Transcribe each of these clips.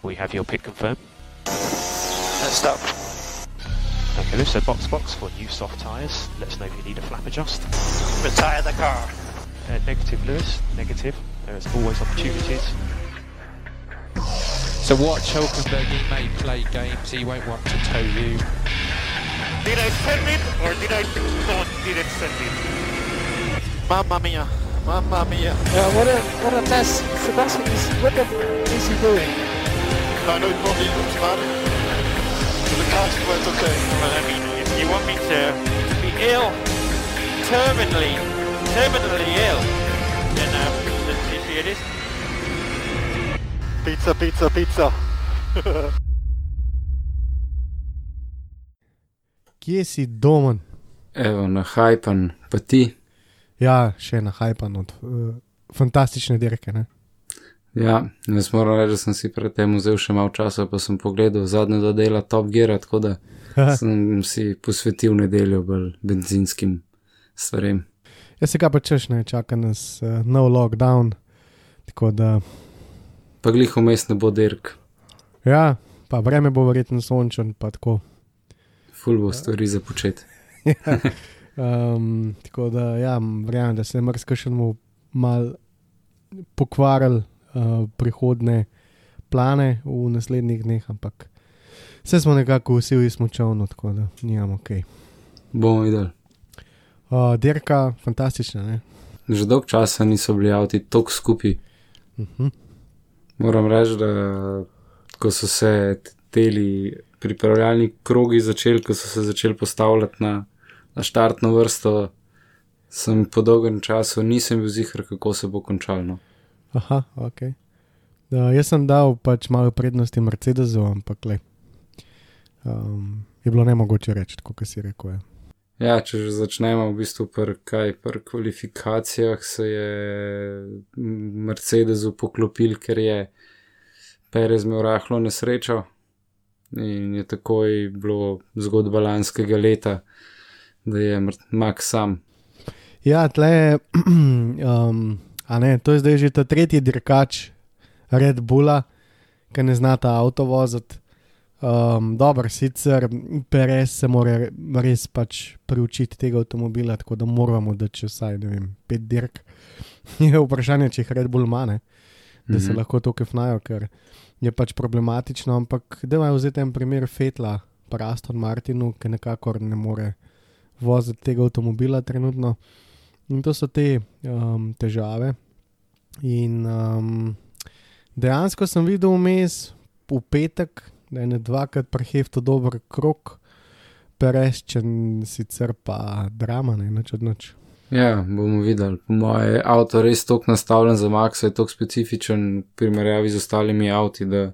We have your pit confirmed. Let's stop. Okay, so box for new soft tyres. Let us know if you need a flap adjust. Retire the car. Negative, Lewis. Negative. There is always opportunities. So watch Hülkenberg, he may play games, he won't want to tow you. Did I send it or did I didn't send it? Mamma mia. Mamma mia. Yeah, what a mess. Sebastian, what is he doing? I know it probably looks bad. But the car went okay. Well, I mean, if you want me to be ill, terminally ill, then let's see it is. Pizza. Kje si, Domen? Evo, nahajpan, pa ti? Ja, še nahajpan od fantastične dirke, ne? Ja, jaz moram reči, da sem si pred tem vzel še malo časa, pa sem pogledal zadnje do dela Top Geara, tako da sem si posvetil nedeljo bolj benzinskim stvarem. Jaz se ga pa češ, ne, čaka nas nov lockdown, tako da... Pa glih vmes ne bo dirk. Ja, pa vreme bo verjetno sončen, pa tako. Ful bo stvari za početi. Ja, tako da, ja, verjamem, da se je marsikšenemu mal pokvaril prihodne plane v naslednjih dneh, ampak vse smo nekako vsi v smučovno, tako da nijam okej. Bomo videli. Dirka, fantastična, ne? Že dolg časa niso bili avti toliko skupaj. Moram reči, da ko so se teli pripravljalni krogi začeli, ko so se začeli postavljati na štartno vrsto, sem po dolgem času nisem bil ziher, kako se bo končalo. Aha, okej. Jaz sem dal pač malo prednosti Mercedesu, ampak je bilo nemogoče reči, tako kot si rekel, ja. Ja, če že začnemo v bistvu pri kvalifikacijah, se je Mercedesu poklopil, ker je Perez imel rahlo nesrečo in je takoj bilo zgodba lanskega leta, da je Max sam. Ja, tle, a ne, to je zdaj že ta tretji dirkač Red Bulla, ki ne zna ta avto voziti. Dobro, sicer Perez se mora res pač priučiti tega avtomobila, tako da moramo dati vsaj, ne vem, 5 dirk. Je vprašanje, če jih Red Bull ima, ne? Da se lahko to kefnajo, ker je pač problematično, ampak da imajo vzeti en primer Vettela pa Aston Martinu, ki nekakor ne more voziti tega avtomobila trenutno. In to so te težave. In dejansko sem videl vmes v petek, da je ne dvakrat prehefto dober krog, Perezčen sicer pa drama, ne, nič od nič. Ja, bomo videli. Po moje avto res toliko nastavljen za Maxa, je toliko specifičen primerjavi z ostalimi avti, da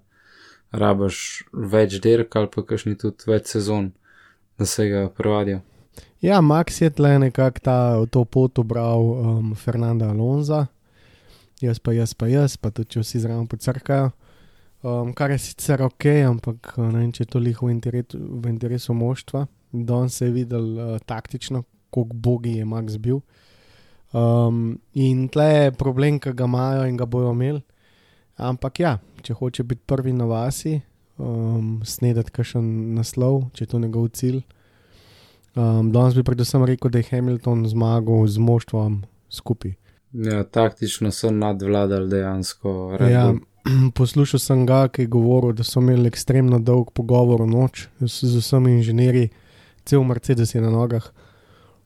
rabaš več dirk ali pa kakšni tudi več sezon, da se ga prevadijo. Ja, Max je tle nekako to pot ubral Fernanda Alonza, jaz pa tudi če vsi zraven pocrkajo. Kar je sicer okej, ampak ne vem, če je to liho v interesu moštva. Danes se je videl taktično, koliko bogi je Max bil. In tle je problem, ki ga imajo in ga bojo imeli. Ampak ja, če hoče biti prvi na vasi, snedati kakšen naslov, če je to njegov cilj. Danes bi predvsem rekel, da je Hamilton zmagal z moštvom skupaj. Ja, taktično so nadvladali dejansko. Ja, poslušal sem ga, ki je govoril, da so imeli ekstremno dolg pogovor v noč z vsemi inženirji, cel Mercedes je na nogah.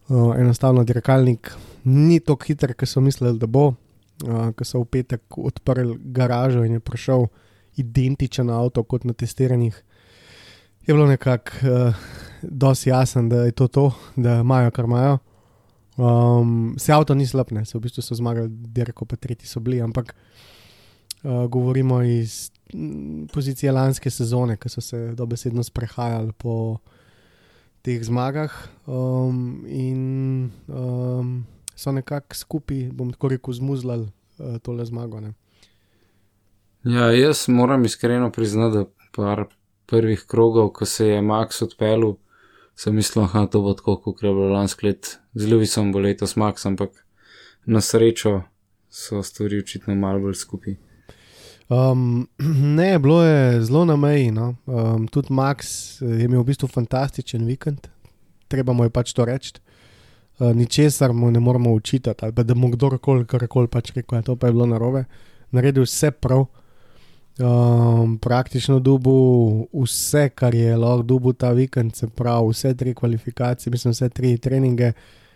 Enostavno dirkalnik ni tako hiter, kot so mislili, da bo. Ko so v petek odprli garažo in je prišel identičen avto kot na testiranjih, je bilo nekako dosti jasen, da je to, da imajo, kar imajo. Se avto ni slab, ne, se v bistvu so zmagali dirko, pa tretji so bili, ampak govorimo iz pozicije lanske sezone, ko so se dobesedno sprehajali po teh zmagah in so nekako skupaj, bom tako rekel, zmuzlali tole zmago, ne. Ja, jaz moram iskreno priznati, da par prvih krogov, ko se je Max odpeljal, sem mislil, to bo tako, kot je bilo lansko let. Z Lewisom bo letos Max, ampak na srečo so stvari očitno malo bolj skupaj. Ne, bilo je zelo na meji. No. Tudi Max je imel v bistvu fantastičen vikend, treba mu je pač to reči. Ničesar mu ne moramo učitati, ali pa da mu kdorkoli karkoli pač rekel, to pa je bilo narobe. Naredil vse prav, praktično dobil vse, kar je lahko dobil ta vikend, se pravi vse 3 kvalifikacije, mislim vse 3 treninge,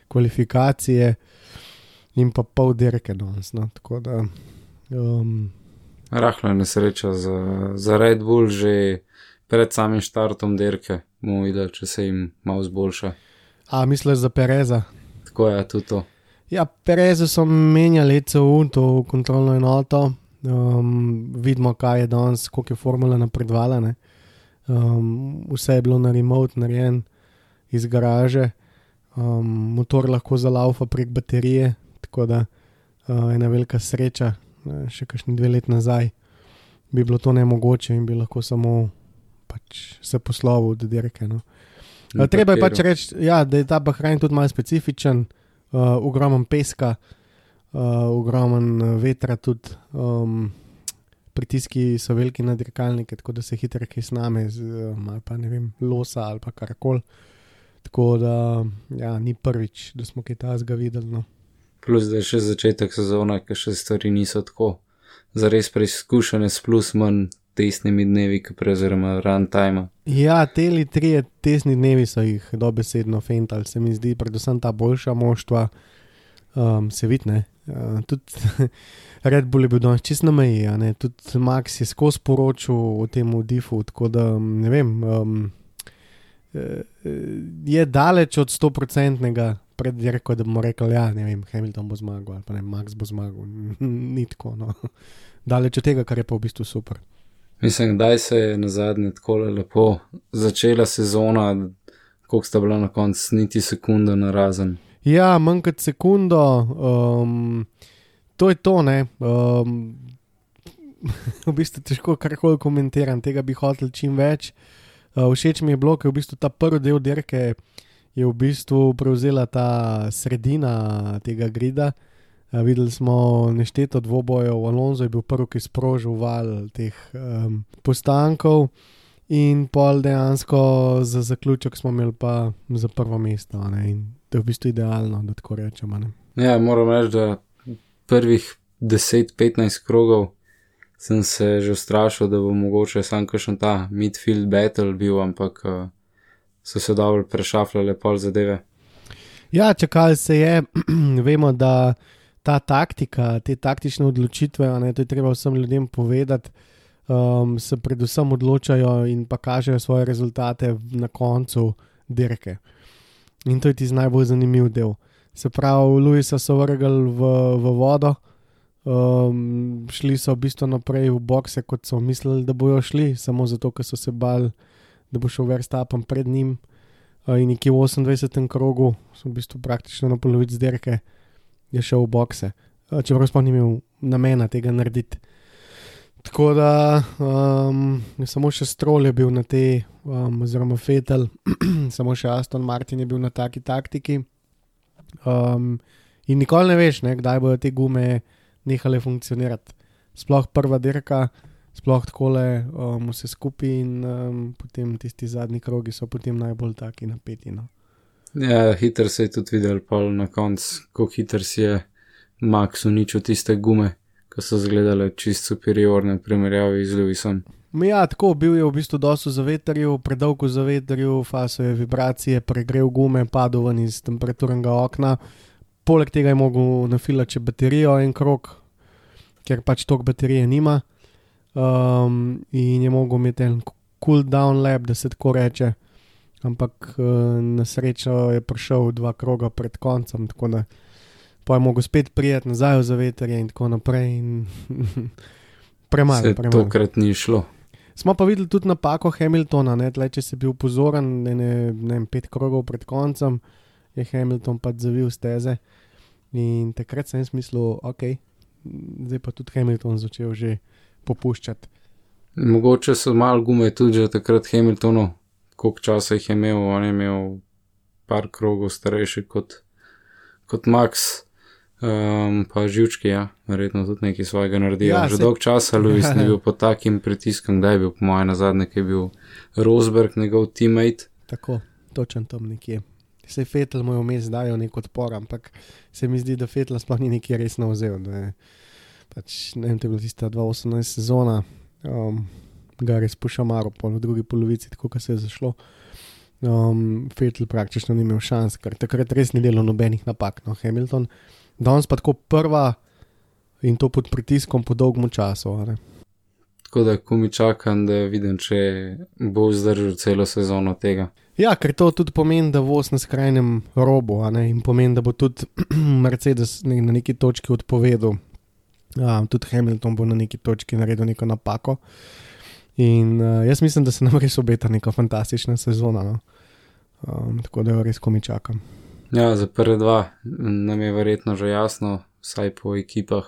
kvalifikacije in pa pol dirke danes, no, tako da... Rahla nesreča za Red Bull že pred samim štartom dirke, bomo videli, če se jim malo zboljša. A, misliš za Pereza? Tako je, tudi to. Ja, Perezu so menjali ECU, to kontrolno enoto, vidimo, kaj je danes, koliko je formula napredvala, ne. Vse je bilo na remote narejen iz garaže, motor lahko zalaufa prek baterije, tako da ena velika sreča, še kakšni 2 leti nazaj bi bilo to nemogoče in bi lahko samo pač se poslovil do dirke, no. Treba je pač reči, ja, da je ta Bahrain tudi malo specifičen, ogromen peska, ogromen vetra tudi, pritiski so veliki na dirkalnike, tako da se hitro kaj sname, ali pa ne vem, losa ali pa karkoli. Tako da, ja, ni prvič, da smo kaj tazga videli, no. Plus, da je še začetek sezona, ker še stvari niso tako zares preizkušene s plus manj testnimi dnevi, oziroma runtime. Ja, teli 3 testni dnevi so jih dobesedno fentali, se mi zdi, predvsem ta boljša moštva, se vidi, ne. Tudi Red Bull je bil danes čist na meji, ne, tudi Max je skozi poročil o tem diffu, tako da, ne vem, je daleč od 100% pred dirko, da bomo rekli, ja, ne vem, Hamilton bo zmagal, ali pa ne, Max bo zmagal, ni tako, no. Daleč od tega, kar je pa v bistvu super. Mislim, kdaj se je nazadnje takole lepo začela sezona, koliko sta bila na koncu, niti sekunda narazen. Ja, manj kot sekundo, to je to, ne, v bistvu težko karkoli komentiram, tega bi hotel čim več. Všeč mi je bilo, ker v bistvu ta prvi del dirke je v bistvu prevzela ta sredina tega grida. Videli smo nešteto dvobojev, Alonso je bil prvi, ki sprožil val teh postankov in pol dejansko za zaključek smo imeli pa za prvo mesto, ne, in to je v bistvu idealno, da tako rečemo, ne. Ja, moram reči, da prvih 10-15 krogov sem se že ustrašil, da bo mogoče sam kakšen ta midfield battle bil, ampak so se dobro prešafljale pol zadeve. Ja, čakali se je, vemo, da ta taktika, te taktične odločitve, ne, to je treba vsem ljudem povedati, se predvsem odločajo in pa kažejo svoje rezultate na koncu dirke. In to je tisti najbolj zanimiv del. Se pravi, Lewisa so vrgli v vodo, šli so v bistvu naprej v bokse, kot so mislili, da bojo šli, samo zato, ker so se bali, da bo šel Verstappen pred njim, in nekje v 28. krogu, so v bistvu praktično na polovici dirke, je šel v bokse, čeprav sploh ni imel namena tega narediti. Tako da samo še Stroll je bil na tej, oziroma Vettel, samo še Aston Martin je bil na taki taktiki, in nikoli ne veš, ne, kdaj bodo te gume nehale funkcionirati. Sploh prva dirka, sploh takole vse skupaj in potem tisti zadnji krogi so potem najbolj taki napeti, no. Ja, hiter se je tudi videl pol na koncu, koliko hiter si je Max uničil tiste gume, ko so zgledale čist superiorne v primerjavi z Lewisom. Ja, tako, bil je v bistvu dosti v zavetrju, predolgo v zavetrju, faso je vibracije, pregrel gume, padel ven iz temperaturnega okna. Poleg tega je mogel nafilati še baterijo en krog, ker pač toliko baterije nima, in je mogel imeti en cool down lap, da se tako reče, ampak na srečo je prišel 2 kroga pred koncem, tako da pa je mogel spet prijeti nazaj v zavetrje in tako naprej in premalo. Se tokrat ni šlo. Smo pa videli tudi napako Hamiltona, ne, tle, če si bil pozoren, ne vem, 5 krogov pred koncem, je Hamilton pa zavil steze in takrat sem mislil, ok, zdaj pa tudi Hamilton začel že popuščati. Mogoče so malo gume tudi že takrat Hamiltonu, koliko časa jih je imel, on je imel par krogov starejši kot Max. Pa živčki, ja, verjetno tudi nekaj svojega naredijo. Ja, že dolg časa Lewis ni bil pod takim pritiskom, kdaj je bil po moje nazadnje, ki je bil Rosberg, njegov teammate. Tako, točen tam nekje. Sej Vettel mu je vmes dajo nek odpor, ampak se mi zdi, da Vettela sploh ni nekaj resno vzel, da je pač, ne vem, to je bila tista 2018 sezona, ga res pošamaro v drugi polovici, tako kot se je zašlo. Vettel praktično ni imel šans, ker takrat res ni delal nobenih napak, no, Hamilton. Danes pa tako prva in to pod pritiskom po dolgmu času. Ne? Tako da, ko mi čakam, da vidim, če bo vzdržal celo sezono tega. Ja, ker to tudi pomeni, da voz na skrajnem robu, a ne? In pomeni, da bo tudi Mercedes na neki točki odpovedal. Tudi Hamilton bo na neki točki naredil neko napako. In jaz mislim, da se nam res obeta neka fantastična sezona. No? Tako da jo res komi čakam. Ja, za prve dva nam je verjetno že jasno, vsaj po ekipah,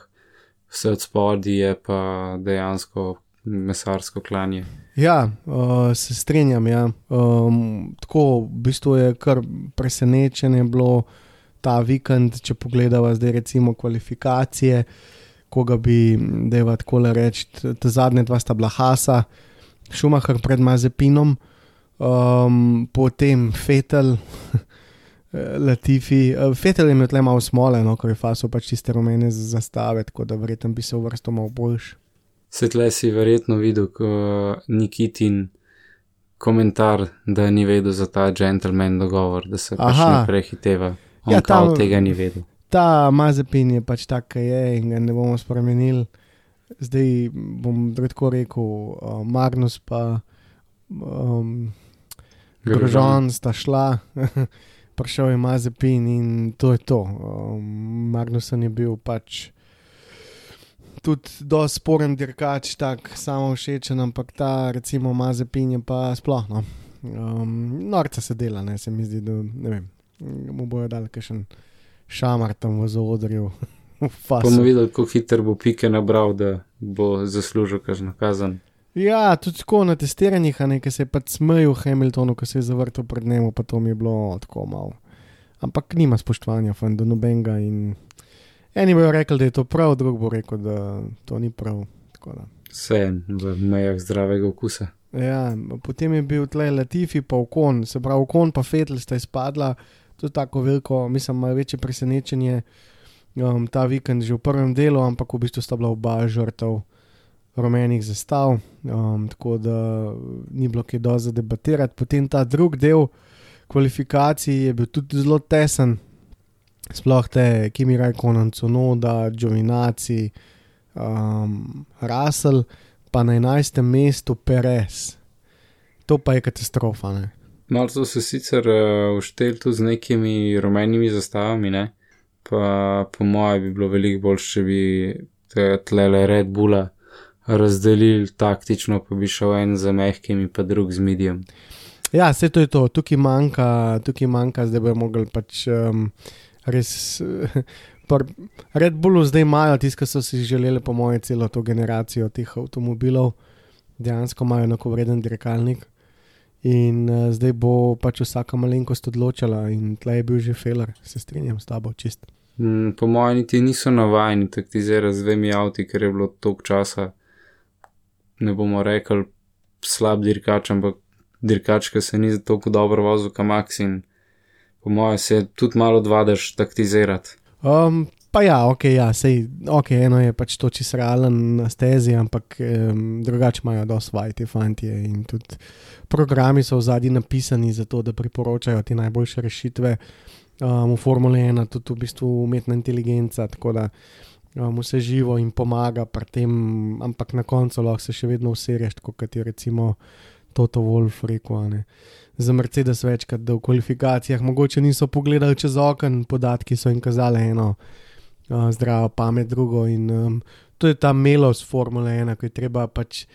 vse od spodi je pa dejansko mesarsko klanje. Ja, se strinjam, ja. Tako, v bistvu je kar presenečenje bilo ta vikend, če pogledava zdaj recimo kvalifikacije, koga bi, deva takole reči, ta zadnje dva sta bila Haasa, Schumacher pred Mazepinom, potem Vettel, Latifi. Vettel je imel tle malo smole, no, ker je fasil pač tiste rumene zastave, tako da verjetno bi se uvrstil malo boljš. Se tle si verjetno videl Nikitin komentar, da ni vedel za ta gentleman dogovor, da se pač ne prehiteva. On kao tega ni vedel. Ta Mazepin je pač tak, kaj je in ga ne bomo spremenili. Zdaj bom tako rekel, Magnus pa Grosjean sta šla, prišel je Mazepin in to je to. Magnussen je bil pač tudi dosti sporen dirkač, tak samo všečen, ampak ta recimo Mazepin je pa sploh, no. Norca se dela, ne, se mi zdi, da ne vem, mu bojo dali kakšen šamar tam v zaodrju. Bomo videli, kako hiter bo Pike nabral, da bo zaslužil kakšno kazen. Ja, tudi tako na testiranjih, a ne, ki se je pač smejil Hamiltonu, ko se je zavrtel pred njemu, pa to mi je bilo tako malo. Ampak nima spoštovanja fan do nobenega in eni bojo rekli, da je to prav, drug bo rekel, da to ni prav. Tako da. Vse v mejah zdravega okusa. Ja, potem je bil tle Latifi pa Ocon, se pravi Ocon pa Vettel sta izpadla, to je tako veliko, mislim, malo večje presenečenje ta vikend že v prvem delu, ampak v bistvu sta bila oba žrtev rumenih zastav, tako da ni bilo kaj dosti za debatirati. Potem ta drug del kvalifikacij je bil tudi zelo tesen, sploh te Kimi Räikkönen, Tsunoda, Giovinazzi, Russell, pa na 11. mestu Perez. To pa je katastrofa, ne? Malo so se sicer ušteli tudi z nekimi rumenimi zastavami, ne? Pa po moje bi bilo veliko boljše, če bi tlele Red Bulla razdelili taktično, pa bi šel en za mehkimi, pa drug z medijem. Ja, vse to je to. Tukaj manjka, zdaj bojo mogli pač res Red Bullu zdaj imajo tisto, ki so si želeli po moje celo to generacijo teh avtomobilov, dejansko imajo enakovreden dirkalnik in zdaj bo pač vsaka malenkost odločala in tle je bil že failer, se strinjam s tabo čist. Po moje niti niso navajeni taktizirati z dvemi avti, ker je bilo toliko časa, ne bomo rekli slab dirkač, ampak dirkač, ki se ni toliko dobro vozil kot Max in po moje se tudi malo odvadaš taktizirati. Pa ja, eno je pač to čisto realen na stezi, ampak drugače imajo dosti vaj te fantje in tudi programi so v zadnji napisani za to, da priporočajo te najboljše rešitve. V Formule 1 tudi v bistvu umetna inteligenca, tako da vse živo in pomaga pri tem, ampak na koncu lahko se še vedno userješ, tako kot je recimo Toto Wolff rekel, ne. Za Mercedes večkrat, da v kvalifikacijah mogoče niso pogledali čez okno, podatki so jim kazali eno zdravo pamet, drugo in to je ta melost Formule 1, ko je treba pač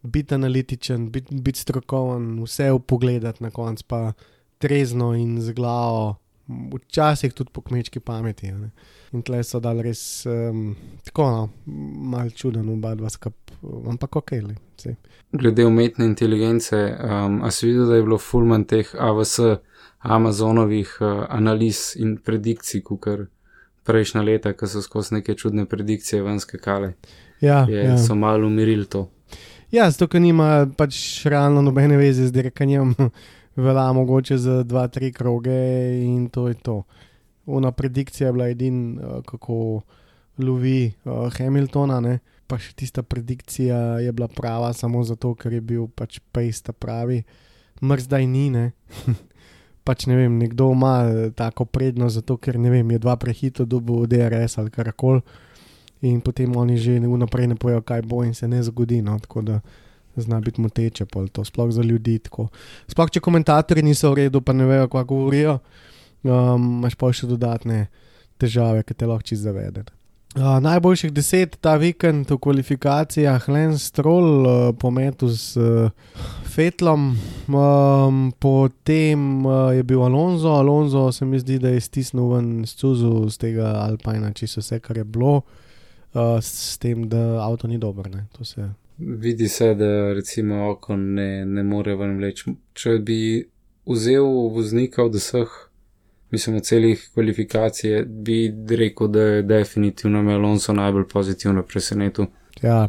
biti analitičen, biti strokoven, vse upogledati na koncu, pa trezno in z glavo, včasih tudi po kmečki pameti. Ne. In tle so dali res tako, no, malo čuden oba dva skup, ampak okej, le. Glede umetne inteligence, a si videl, da je bilo fulman teh AWS Amazonovih analiz in predikcij, kukar prejšnja leta, ko so skozi neke čudne predikcije ven skakale. So malo umirili to. Ja, zato, ker nima pač realno nobene veze z dirkanjem, velja mogoče za 2-3 kroge in to je to. Ona predikcija je bila kako lovi Hamiltona, ne? Pa še tista predikcija je bila prava samo zato, ker je bil pač pace pravi. Zdaj ni, ne? Pač ne vem, nekdo ima tako prednost zato, ker ne vem, je 2 prehito dobil DRS ali karakol in potem oni že vnaprej ne pojejo, kaj bo in se ne zgodi, no, tako da zna biti moteče pol to, sploh za ljudi tako. Sploh, če komentatorji niso v redu, pa ne vejo, kaj govorijo, imaš pa še dodatne težave, ki te lahko čisto zavede. Najboljših 10 ta vikend v kvalifikacijah Lance Stroll pometu z Vettelom, potem je bil Alonso se mi zdi, da je stisnil ven scuzu z tega Alpina, čisto vse, kar je bilo, s tem, da avto ni dober, ne, to se... Vidi se, da recimo Ocon ne more ven vleči. Če bi vzel voznika od vseh, mislim, od celih kvalifikacije, bi rekel, da je definitivno Alonso najbolj pozitivno presenetil. Ja,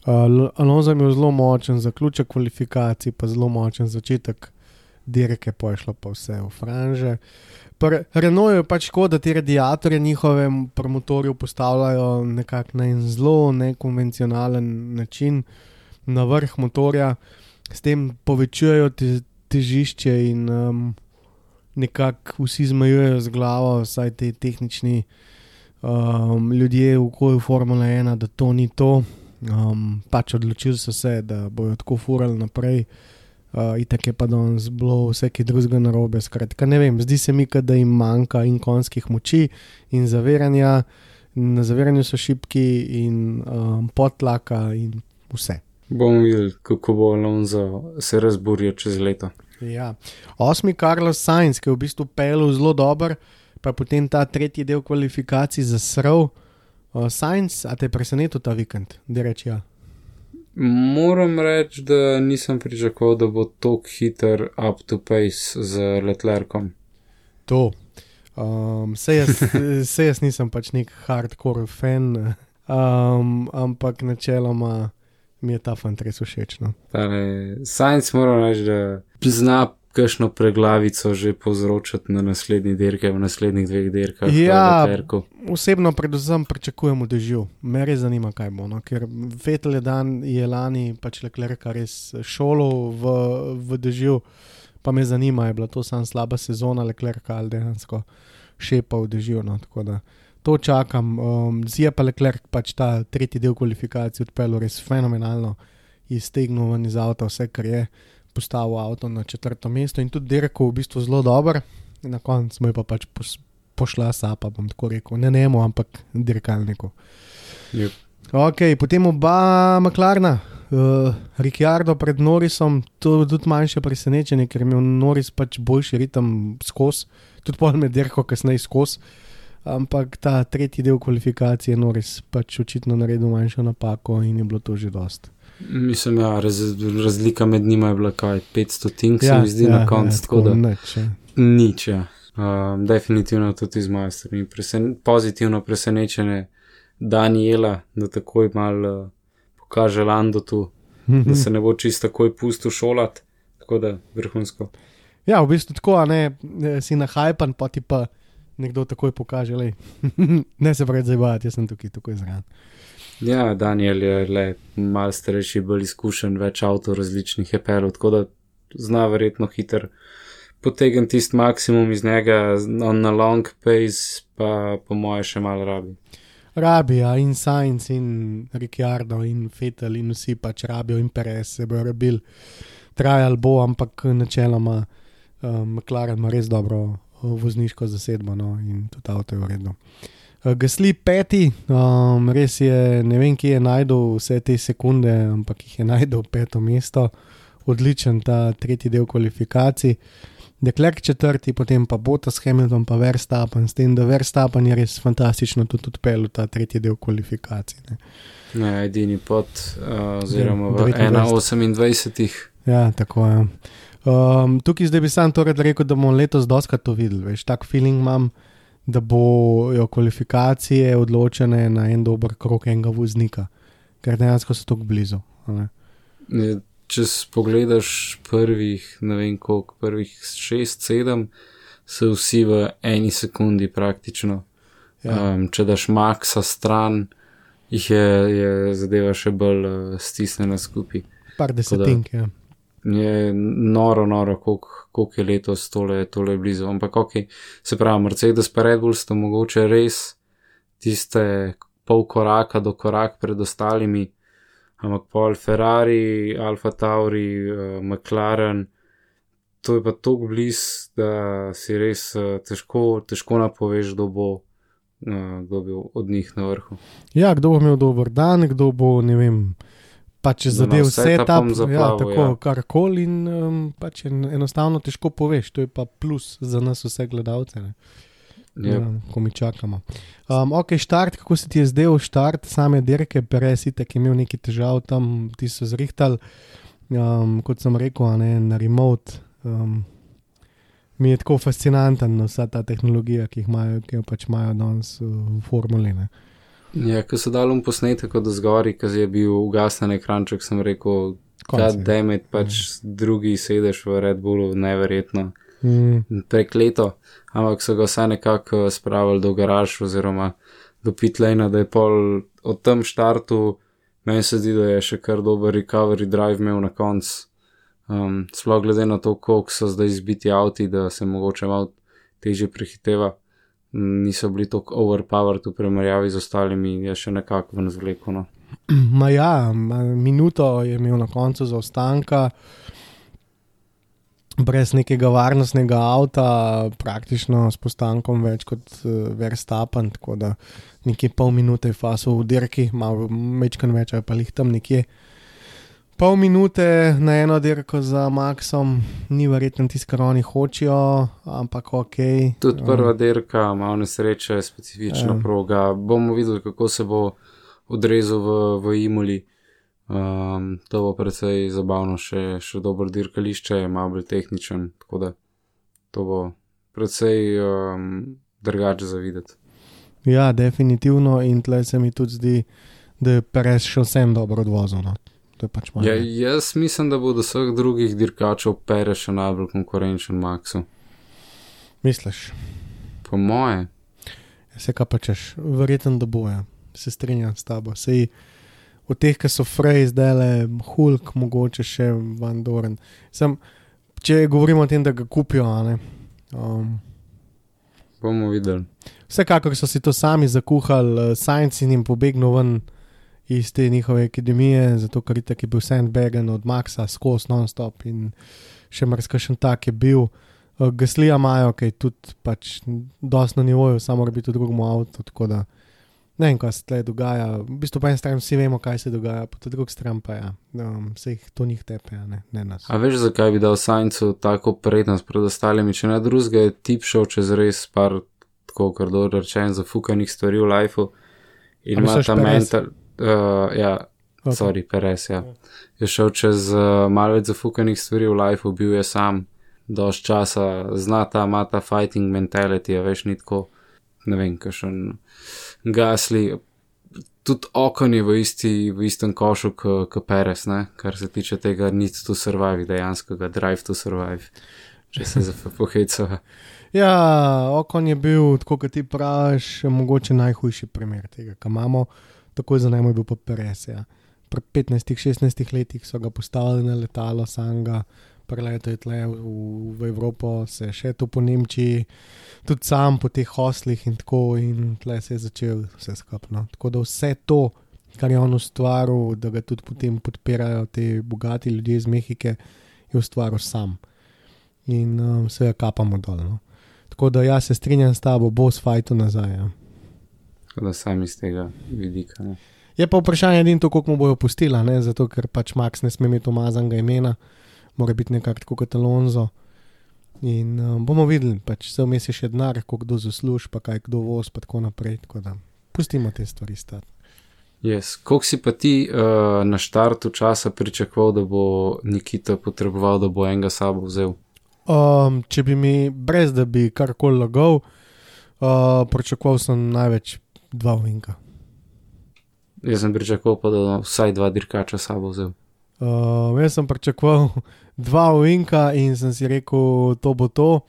Alonso je imel zelo močen zaključek kvalifikacij, pa zelo močen začetek dirke, pa je šlo pa vse v franže. Renault je pač škoda, da ti radiatorje njihove promotorju postavljajo nekako na en zelo nekonvencionalen način na vrh motorja, s tem povečujejo težišče in nekako vsi zmajujejo z glavo, vsaj te tehnični ljudje v okolju Formula 1, da to ni to. Pač odločili so se, da bojo tako furali naprej. Itak je pa danes bilo vse kaj drugega narobe, skratka, ne vem, zdi se mi, da jim manjka in konjskih moči in zaviranja, na zaviranju so šibki in podtlaka in vse. Bomo videli, kako bo Alonso se razburil čez leto. Ja, 8. Carlos Sainz, ki je v bistvu pelil zelo dober, pa potem ta tretji del kvalifikacij zasral. Sainz, a te je presenetil ta vikend, da reči ja? Moram reči, da nisem pričakoval, da bo tok hiter up to pace z Leclercom. To. Se jaz nisem pač nek hardcore fan, ampak načeloma mi je ta fant res všeč. No. Sainz moram reči, da zna kakšno preglavico že povzročati na naslednji dirke, v naslednjih 2 dirkah. Ja, osebno predvsem pričakujem v dežju. Me res zanima, kaj bo, no? Ker Vettel je lani pač Leclerca res šolal v dežju, pa me zanima, je bila to samo slaba sezona Leclerca ali dejansko šepa v dežju, no? Tako da to čakam. Je pa Leclerc pač ta tretji del kvalifikacij odpeljal res fenomenalno, iztegnil ven iz avta vse, kar je, postavil avto na 4. mesto in tudi dirko v bistvu zelo dober. Na koncu smo jo pa pač pošla sapa, bom tako rekel. Ne nemo, ampak dirkalniku. Yep. Ok, potem oba McLarena. Ricciardo pred Norrisom, to je tudi manjše presenečenje, ker je imel Norris pač boljši ritem skozi, tudi pol med dirko kasneje skozi. Ampak ta tretji del kvalifikacije Norris pač očitno naredil manjšo napako in je bilo to že dost. Mislim, ja, razlika med njima je bila kaj, 500 tink se mi zdi na koncu, tako da nič, ja. Definitivno tudi iz moje strani. Pozitivno presenečenje Daniela, da takoj malo pokaže Lando tu, da se ne bo čisto takoj pustil šolat, tako da vrhunsko. Ja, v bistvu tako, a ne, si nahajpan, pa ti pa nekdo takoj pokaže, lej, ne se pravi zajbati, jaz sem tukaj takoj zran. Ja, Daniel je le malo starejši, bolj izkušen, več avto različnih je pelil, tako da zna verjetno hiter potegn tisti maksimum iz njega, na long pace pa po moje še malo rabi. Rabi, ja, in Sainz in Ricciardo in Vettel in vsi pač rabijo in Perez se bojo rabili, trajal bo, ampak načeloma McLaren ima res dobro vozniško zasedbo, no, in tudi avto je v redu. Gasly 5, res je, ne vem, kje je najdel vse te sekunde, ampak jih je najdel 5. mesto, odličen ta tretji del kvalifikacij. Leclerc 4, potem pa Bottas, Hamilton pa Verstappen, s tem, da Verstappen je res fantastično tudi odpeljal ta tretji del kvalifikacij. Ne, edini pot, oziroma v 1.28. Ja, tako je. Tukaj zdaj bi sam torej rekel, da bomo letos dostkrat to videli, veš, tak feeling imam, da bojo kvalifikacije odločene na en dober krog enega voznika, ker dejansko so tako blizu. Če pogledaš prvih 6-7, so vsi v eni sekundi praktično. Ja. Če daš Maxa stran, jih je zadeva še bolj stisnjena skupaj. Par desetink, ja. Je noro, koliko je letos tole blizu. Ampak se pravi, Mercedes pa Red Bull sta mogoče res tiste pol koraka do korak pred ostalimi, ampak pol Ferrari, Alfa Tauri, McLaren, to je pa toliko bliz, da si res težko napoveš, kdo bo od njih na vrhu. Ja, kdo bo imel dober dan, kdo bo, ne vem, pač zadev setup, karkoli in pač enostavno težko poveš, to je pa plus za nas vse gledalce, ne? Ko mi čakamo. Štart, kako se ti je zdel štart same dirke, Perez itak je imel nekaj težav tam, ti so zrihtali, kot sem rekel, na remote, mi je tako fascinanten vsa ta tehnologija, ki jo pač imajo danes v formuli, ne? Ja, ko so dali posnetek od zgori, ko je bil ugasnen ekranček, sem rekel, god damn it, pač drugi sedeš v Red Bullu, neverjetno, prekleto, ampak so ga vsaj nekako spravili do garaž oziroma do pit lane, da je pol od tem štartu, meni se zdi, da je še kar dober recovery drive imel na konc, sploh glede na to, koliko so zdaj izbiti avti, da se mogoče malo težje prehiteva. Niso bili tako overpowered v primerjavi z ostalimi, je še nekako ven zvleko, no. Minuto je imel na koncu zaostanka, brez nekega varnostnega avta, praktično s postankom več kot Verstappen, tako da nekje pol minute je fasil v dirki, malo mečkan več, ali pa lih tam nekje. Pol minute na eno dirko za Maxom, ni verjetno tisto, kar oni hočijo, ampak okej. Tudi prva dirka, malo nesreče, specifična proga. Bomo videli, kako se bo odrezal v Imoli. To bo precej zabavno, še dobro dirkališče, malo bolj tehničen, tako da to bo precej drugače za videti. Ja, definitivno, in tle se mi tudi zdi, da je Perez še vsem dobro odvozil, no. Pač jaz mislim, da bo do vseh drugih dirkačev Perez še najbolj konkurenčen Maxu. Misliš? Po moje. Se kaj pa češ, verjetno da boja, se strinjam s tabo. Sej od teh, ki so Frey zdajle, Hulk, mogoče še Van Doren. Če govorimo o tem, da ga kupijo, ne? Bomo videli. Vsekakor so si to sami zakuhali, Sainz in jim pobegnil ven iz te njihove akademije, zato ker itak je bil sandbagen od Maxa skozi non-stop in še marsikšen tak je bil. Gaslija imajo, ki je tudi pač dosti na nivoju, samo mora biti v drugem avtu, tako da ne vem, kaj se tle dogaja. V bistvu pa en stran vsi vemo, kaj se dogaja, pa tudi drug stran pa se jih to njih tepe, ne nas. A veš, zakaj bi dal Sainzu tako prednost pred ostalimi, če ne drugega je tip šel čez res par, tako kar dobro rečen, zafukanih stvari v lifeu in ima ta mental... Perez, ja. Je šel čez malo več zafukanih stvari v lifeu, bil je sam dosti časa, ima ta fighting mentality, veš, ni tako, ne vem, kakšen Gasly, tudi Ocon je v istem košu k Perez, ne, kar se tiče tega need to survive, dejanskega drive to survive, če se pohecava. Ja, Ocon je bil, tako kot ti praviš, mogoče najhujši primer tega, kar imamo. Takoj za njim je bil pa Perez, ja. Pri 15-16 letih so ga postavili na letalo samega, preletel je tle v Evropo, se je še to po Nemčiji, tudi sam po teh hoslih in tako, in tle se je začel vse skupno. Tako da vse to, kar je on ustvaril, da ga tudi potem podpirajo te bogati ljudje iz Mehike, je ustvaril sam. In se ga kapamo dol, no. Tako da ja, se strinjam s tabo, bo s fajtu nazaj, ja. Da sam iz tega vidika, ne. Je pa vprašanje edin to, koliko mu bojo pustila, ne, zato ker pač Max ne sme imeti umazanega imena, mora biti nekako tako kot Alonso in bomo videli, pač se vmes je še denar, koliko kdo zasluž, pa kaj kdo voz, pa tako naprej, tako da pustimo te stvari stati. Yes. Koliko si pa ti na štartu časa pričakoval, da bo Nikita potreboval, da bo enega sabo vzel? Če bi mi, brez da bi karkoli lagal, Pričakoval sem največ 2 ovinka. Jaz sem pričakoval pa, da vsaj 2 dirkača sabo vzel. Jaz sem pričakoval 2 ovinka in sem si rekel, to bo to.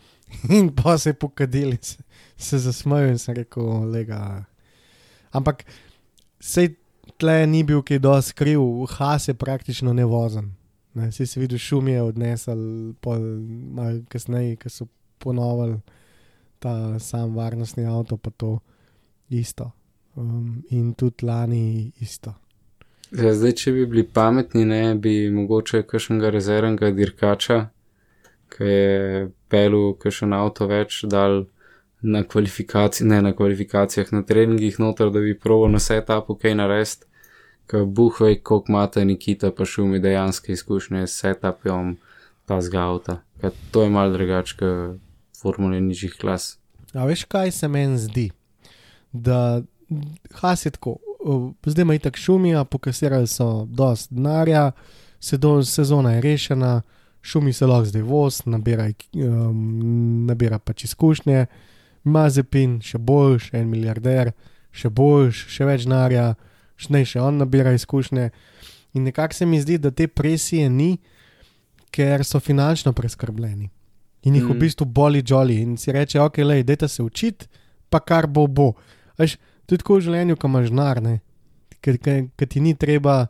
In pa se je pokadil in se zasmejal in sem rekel, lega. Ampak sej tle ni bil kaj dosti kriv, Haas je praktično nevozen. Sej si videl, šum je odnesel malo kasneje, ko so ponovili ta sam varnostni avto, pa to isto. In tudi lani isto. Ja, zdaj, če bi bili pametni, ne, bi mogoče kakšnega rezervnega dirkača, ki je pelil kakšen avto več, dal na kvalifikacijah, na treningih noter, da bi probal na setupu kaj narediti, ker buhvej, koliko imate Nikita pa Šumi dejanske izkušnje s setupom tazga avta. Ker to je malo drugače, kot formule nižjih klas. A veš, kaj se meni zdi? Da Haas je tako, zdaj ima itak Šumija, pokasirali so dosti denarja, sezona je rešena, Šumi se lahko zdaj voz, nabira pač izkušnje, Mazepin še boljš, 1 milijarder, še boljš, še več denarja, še on nabira izkušnje. In nekako se mi zdi, da te presije ni, ker so finančno preskrbljeni. In jih v bistvu boli jolly in si reče, ok, lej, dajte se učiti, pa kar bo. Veš, to je tako v življenju, ko imaš denar, ne? Ker ti ni treba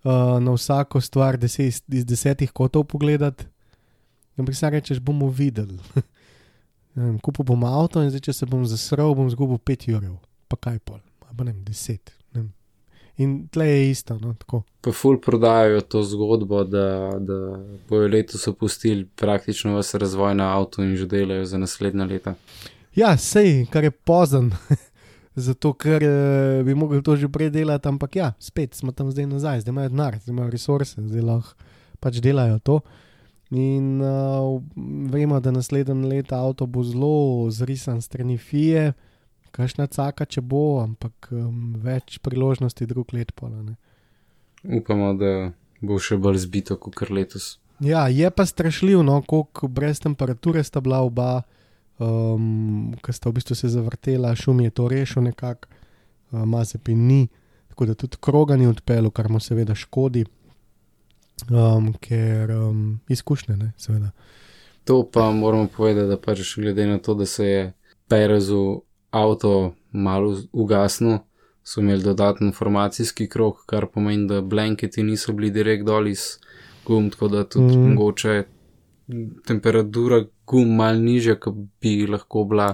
na vsako stvar iz 10 kotov pogledati. Ampak se rečeš, bomo videli. Kupil bom avto in zdaj, če se bom zasral, bom zgubil 5 €. Pa kaj pol? Pa ne, 10. Ne. In tle je isto, no, tako. Pa ful prodajajo to zgodbo, da bojo letos opustili praktično vse razvoj na avtu in že delajo za naslednja leta. Ja, sej, kar je pozen. Zato, ker bi mogli to že prej delati, ampak ja, spet smo tam zdaj nazaj, zdaj imajo denar, zdaj imajo resurse, zdaj lahko pač delajo to. In vemo, da naslednje leta avto bo zelo zrisan strani FIA, kakšna caka, če bo, ampak več priložnosti drug let pola, ne. Upamo, da bo še bolj zbito, kot kar letos. Ja, je pa strašljiv, no, koliko brez temperature sta bila oba, ko sta v bistvu se zavrtela, Šumi je to rešil nekako, Mazepin ni, tako da tudi kroga ni odpeljal, kar mu seveda škodi, ker izkušnje, ne, seveda. To pa moramo povedati, da pač glede na to, da se je Perezu avto malo ugasnil, so imeli dodaten formacijski krog, kar pomeni, da blanketi niso bili direkt dol iz gum, tako da tudi mogoče temperatura gum malo nižja, kot bi lahko bila,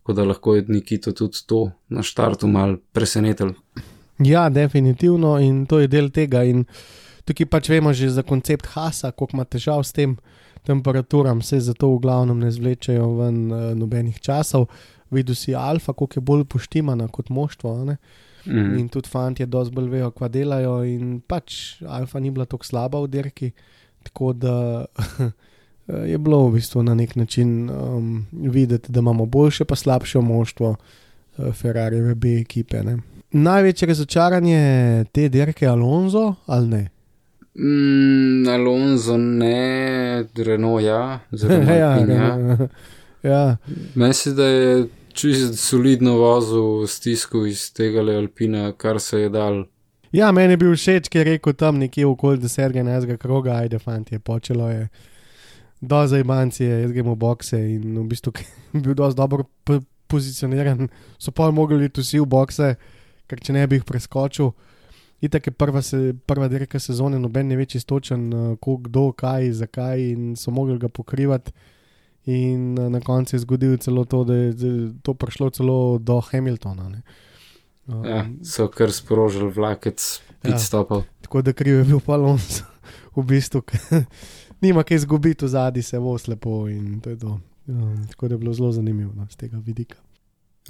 tako da lahko je Nikito tudi to na štartu malo presenetil. Ja, definitivno, in to je del tega in tukaj pač vemo že za koncept Haasa, koliko ima težav s tem temperaturam, se zato v glavnem ne zvlečejo ven nobenih časov. Videl si Alfa, koliko je bolj poštimana kot moštvo, ne? In tudi fantje dosti bolj vejo, kva delajo in pač Alfa ni bila tako slaba v dirki, tako da je bilo v bistvu na nek način videti, da imamo boljše pa slabše moštvo Ferrarieve B ekipe, ne? Največje razočaranje te dirke Alonso ali ne? Alonso ne, Renault ja, ja. Mislim, da je čisto solidno vozil stisku iz tega Alpina, kar se je dal. Ja, meni je bil všeč, ki je rekel tam nekje okoli 10. kroga, ajde fantje, počelo je do zajbancije, jaz gremo v bokse in v bistvu je bil dosti dobro pozicioniran, so pa mogli iti vsi v bokse, ker če ne bi jih preskočil. Itak je prva dirka sezone, noben ne več istočen, kdo, kaj, zakaj in so mogli ga pokrivati. In na koncu je zgodilo celo to, da je to prišlo celo do Hamiltona. Ne? Ja, so kar sprožili vlakec pitstopov. Ja, tako da kriv je bil pa Alonso, v bistvu, nima kaj izgubiti, vzadi se voz lepo in to je to. Tako da je bilo zelo zanimivo z tega vidika.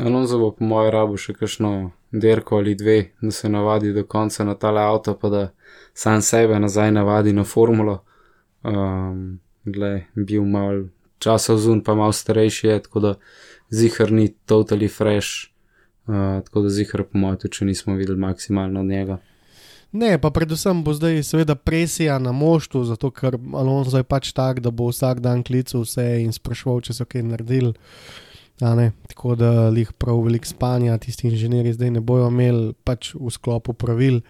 Alonso bo po mojem rabu še kakšno dirko ali dve, da se navadi do konca na tale avto, pa da sam sebe nazaj navadi na formulo. Bil malo časa vzun, pa malo starejši je, tako da zihar ni totally fresh, tako da zihar po mojem tudi, če nismo videli maksimalno od njega. Ne, pa predvsem bo zdaj seveda presija na moštvu, zato ker Alonso je pač tak, da bo vsak dan klical vse in spraševal, če so kaj naredili. Tako da lih prav veliko spanja, tisti inženirji zdaj ne bojo imeli pač v sklopu pravil.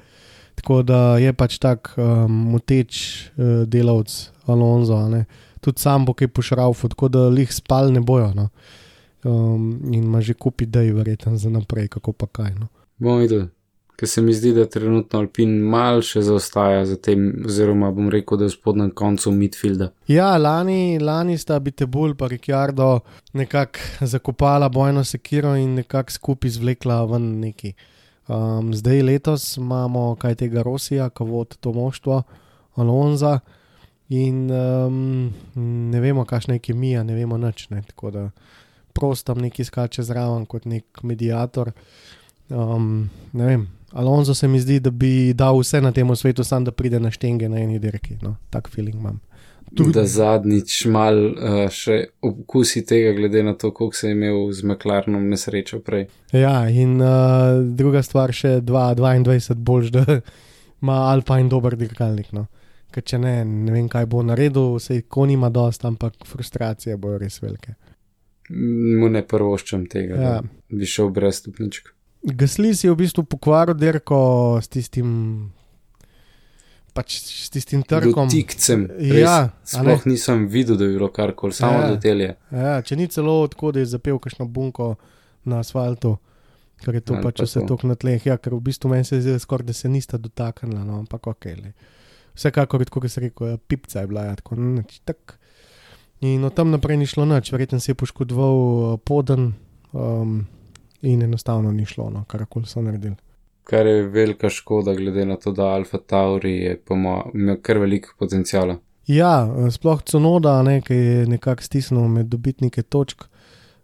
Tako da je pač tak moteč delavc Alonso, tudi sam bo kaj pošraufal, tako da lih spal ne bojo. No. In ima že kup idej verjetno za naprej, kako pa kaj. No. Bom videl, ker se mi zdi, da trenutno Alpine mal še zaostaja za tem, oziroma bom rekel, da je v spodnjem koncu midfielda. Ja, lani sta Abiteboul pa Ricciardo nekako zakopala bojno sekiro in nekako skupaj zvlekla ven neki. Zdaj letos imamo kaj tega Rossija, ki vodi to moštvo, Alonza in ne vemo, kakšna je kemija, ne vemo nič, ne, tako da prost tam neki skače zraven kot nek mediator. Ne vem, Alonso se mi zdi, da bi dal vse na tem svetu, sam da pride na štenge na eni dirki, no, tak feeling imam. Da zadnjič mal še okusi tega, glede na to, koliko se je imel z McLarenom nesrečo prej. Ja, in druga stvar še 22 boljš, da ima Alpine dober dirkalnik, no. Ker če ne vem, kaj bo naredil, sej kon ima dost, ampak frustracije bojo res velike. Mu ne prvoščam tega, ja. Da bi šel brez stopničk. Gasly si je v bistvu pokvaril dirko s tistim trkom. Dotikcem, res, ja, sploh nisem videl, da bi bilo karkoli, samo do telje. Ja, če ni celo odkud je zapel kakšno bunko na asfaltu, ker je to pač vse tok na tleh, ja, ker v bistvu meni se zdi skoraj, da se nista dotaknila, no, ampak okej. Vsekakor, tako se rekel, pipca je bila, ja, tako, tak. In od tam naprej ni šlo nič, verjetno se je poškodoval poden in enostavno ni šlo, no, karakoli so naredili. Kar je velika škoda, glede na to, da Alfa Tauri je imel kar veliko potencijala. Ja, sploh Tsunoda, ki je nekako stisnil med dobitnike točk,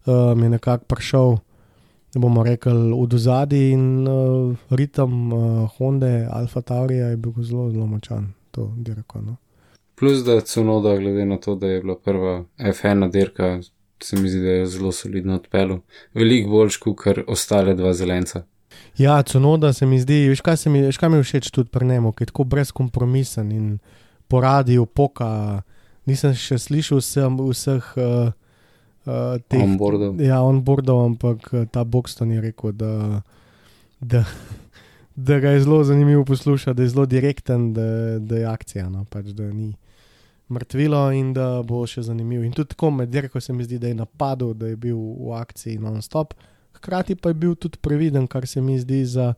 je nekako prišel, bomo rekli, od ozadij in ritem Honde Alfa Taurija je bil zelo, zelo močan, to dirko, no. Plus, da Tsunoda, glede na to, da je bila prva F1 dirka, se mi zdi, da je zelo solidno odpeljal. Veliko boljš, kot ostale dva zelenca. Ja, Tsunoda se mi zdi, veš kaj mi je všeč tudi pri njemu, ki je tako brezkompromisen in po radiju poka, nisem še slišal vseh teh onboardov. Ja, onboardov, ampak ta Boxton je rekel, da ga je zelo zanimivo poslušati, da je zelo direkten, da je akcija, no, pač da ni mrtvilo in da bo še zanimiv. In tudi tako med dirko se mi zdi, da je napadel, da je bil v akciji non-stop. Hkrati pa je bil tudi previden, kar se mi zdi za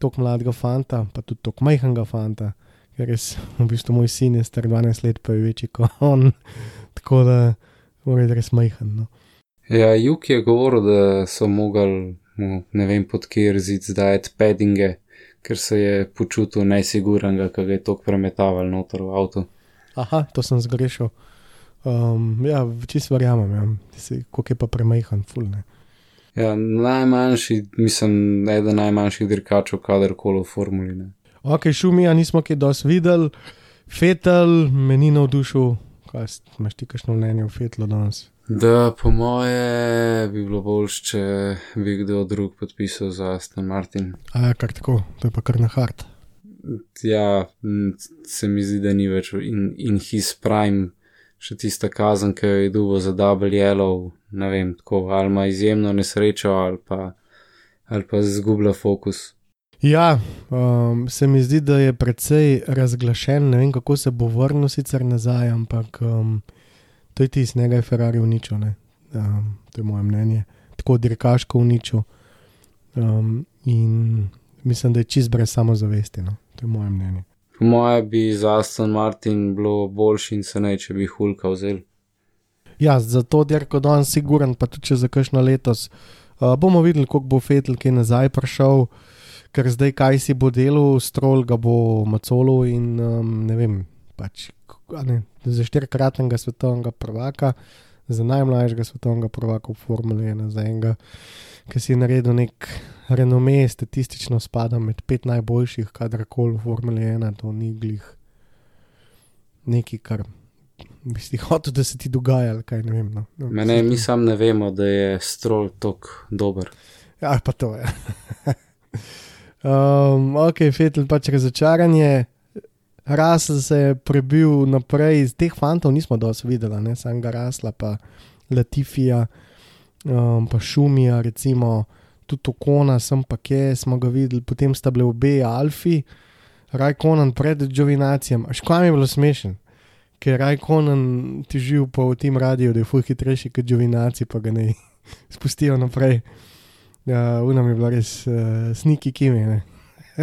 tok mladega fanta, pa tudi tok majhnega fanta, ker res v bistvu moj sin je star 12 let, pa je večji kot on, tako da mora je res majhen. No. Ja, Juk je govoril, da so mogli, ne vem pod kje reziti zdajati paddinge, ker se je počutil najsigurnega, ko ga je tok premetaval noter v avtu. Aha, to sem zgrešil. Ja, čisto verjamem, ja. Koliko je pa premajhen, ful, ne. Ja, najmanjši, mislim, eden najmanjših dirkačev kadarkoli v formuli, ne. Ok, Šumija nismo kaj dosti videli, Vettel me ni navdušil, kaj imaš ti kakšno mnenje o Vettelu danes? Da, po moje bi bilo boljš, če bi kdo drug podpisal za Aston Martin. A ja, kar tako, to je pa kar na hard. Ja, se mi zdi, da ni več in his prime, še tista kazen, ki jo je dobil za double yellow, ne vem, tako, ali ima izjemno nesrečo, ali pa zgublja fokus. Ja, se mi zdi, da je precej razglašen, ne vem, kako se bo vrnil sicer nazaj, ampak to je tisti, njega je Ferrari uničil, ne, to je moje mnenje, tako dirkaško uničil in mislim, da je čist brez samozavesti, no, to je moje mnenje. Po moje bi za Aston Martin bilo boljši in se ne, če bi Hulka vzel. Ja, za to dirko danes siguren, pa tudi če za kakšno letos. Bomo videli, koliko bo Vettel kaj nazaj prišel, ker zdaj kaj si bo delal, Stroll ga bo macolil in ne vem, pač za 4-kratnega svetovnega prvaka, za najmlajšega svetovnega prvaka v Formuli 1, za enega, ki si je naredil nek renome, statistično spada med 5 najboljših, kadarkoli v Formuli 1, to ni glih nekaj, kar bi si hotel, da se ti dogaja, ali kaj, ne vem. No. Mene, mi sam ne vemo, da je Stroll tok dober. Ja, pa to je. Ok, Vettel pač razočaranje. Russell se je prebil naprej, iz teh fantov nismo dosti videli, ne, samega Russella pa Latifija. pa Šumija, recimo tudi Okona, sem pa kje, smo ga videli, potem sta bile obe Alfi, Raikkonen pred Giovinacijem, až kaj mi je bilo smešen, ker Raikkonen težil po tem radiju, da je ful hitrejši kot Giovinazzi, pa ga ne spustijo naprej. Unam je bila res sniki Kimi, ne.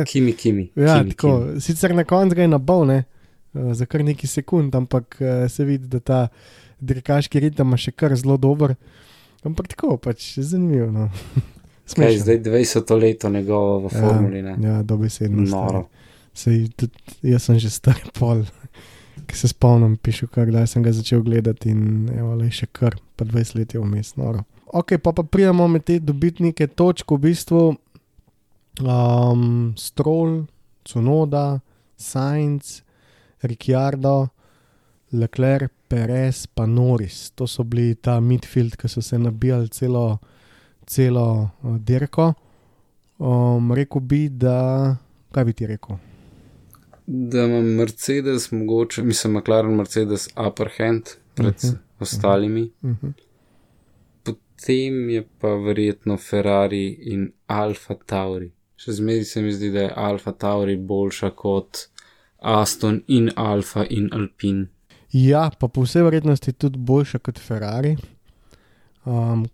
Kimi. Ja, Kimi, tako, Kimi. sicer na koncu ga je nabal, ne, za kar nekaj sekund, ampak se vidi, da ta dirkaški ritem je še kar zelo dober, ampak tako, pač zanimivo, no. Kaj, zdaj 20 leto njegovo v formuli, ne? Ja, dobesedno. Noro. Sej, tudi, jaz sem že star pol, ki se spomnim, pišu, kdaj sem ga začel gledati in evo, le še kar, pa 20 let je vmes, noro. Ok, pa pridemo med te dobitnike točk, v bistvu Stroll, Tsunoda, Sainz, Ricciardo, Leclerc, Perez, pa Norris. To so bili ta midfield, ki so se nabijali celo dirko. Rekel bi, da... Kaj bi ti rekel? Da ima Mercedes mogoče, mislim McLaren Mercedes upper hand pred ostalimi. Potem je pa verjetno Ferrari in Alfa Tauri. Še zmeraj se mi zdi, da je Alfa Tauri boljša kot Aston in Alfa in Alpine. Ja, pa po vsej verjetnosti tudi boljša kot Ferrari,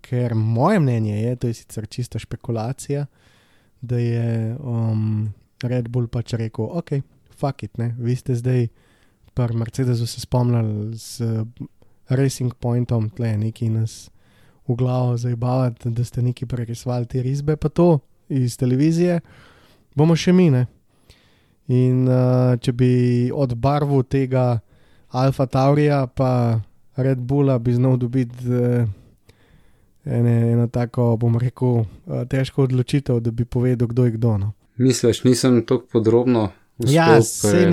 ker moje mnenje je, to je sicer čista špekulacija, da je Red Bull pač rekel, ok, fuck it, ne, vi ste zdaj pri Mercedesu se spomnili z Racing Pointom, tle neki nas v glavo zajebavati, da ste neki prerisvali te risbe, pa to iz televizije, bomo še mi, ne. In če bi od barvu tega Alfa Taurija pa Red Bulla bi znal dobiti eno tako, bom rekel, težko odločitev, da bi povedal, kdo je kdo, no. Misliš, nisem toliko podrobno uspel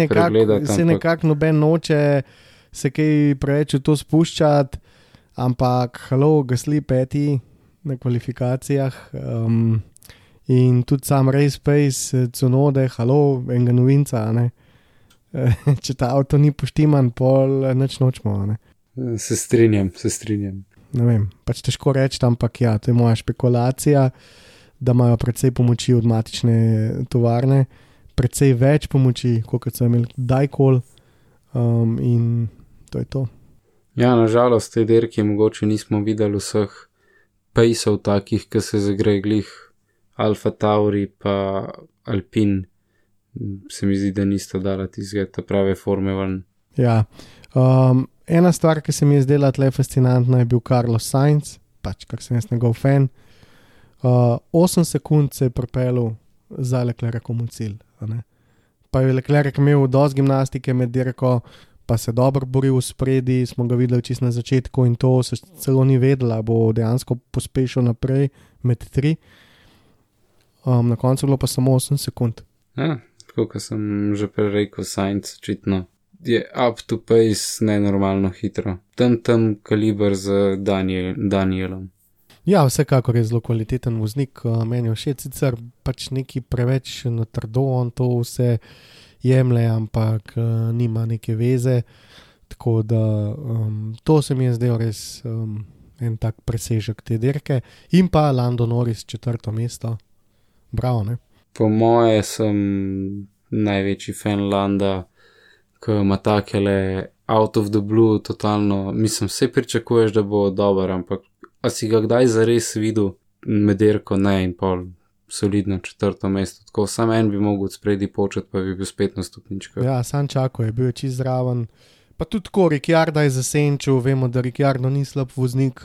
pregledati. Se nekako noben noče se kaj preveč v to spuščati, ampak halo, Gasly peti na kvalifikacijah in tudi sam race pace, Tsunode, halo, enega novinca, ne. Če ta avto ni poštiman, pol nič nočemo, ne. Se strinjam. Ne vem, pač težko reči, ampak ja, to je moja špekulacija, da imajo precej pomoči od matične tovarne, precej več pomoči, kot so imeli kdajkoli, in to je to. Ja, nažalost, te dirke mogoče nismo videli vseh pejsov takih, ki se zagreje glih Alfa Tauri pa Alpine. Se mi zdi, da nista dala tistega prave forme ven. Ja, ena stvar, ki se mi je zdela tle fascinantna, je bil Carlos Sainz, pač kar sem jaz njegov fan. 8 sekund se je pripeljal za Leclercom v cilj, ne. Pa je Leclerc imel dosti gimnastike med dirko, pa se dobro boril v spredi, smo ga videli čisto na začetku in to se celo ni vedela, bo dejansko pospešil naprej med 3. Na koncu bilo pa samo 8 sekund. Ja, tako kot sem že prej rekel, Sainz očitno je up to pace nenormalno hitro. Tam kaliber z Danielom. Ja, vsekakor je zelo kvaliteten voznik, meni je všeč, sicer pač neki preveč na trdo, on to vse jemlje, ampak nima neke veze, tako da to se mi je zdel res en tak presežek te dirke. In pa Lando Norris 4. mesto, bravo, ne? Po moje sem največji fan Landa, ki ima takele out of the blue, totalno, mislim, vse pričakuješ, da bo dober, ampak a si ga kdaj zares videl med dirko, ne, in pol solidno 4. mesto, tako sam en bi mogel spredi početi, pa bi bil spet na stopničkah. Ja, sam čako je, bil je čist zraven, pa tudi tako, Ricciardo je zasenčil, vemo, da Ricciardo ni slab voznik,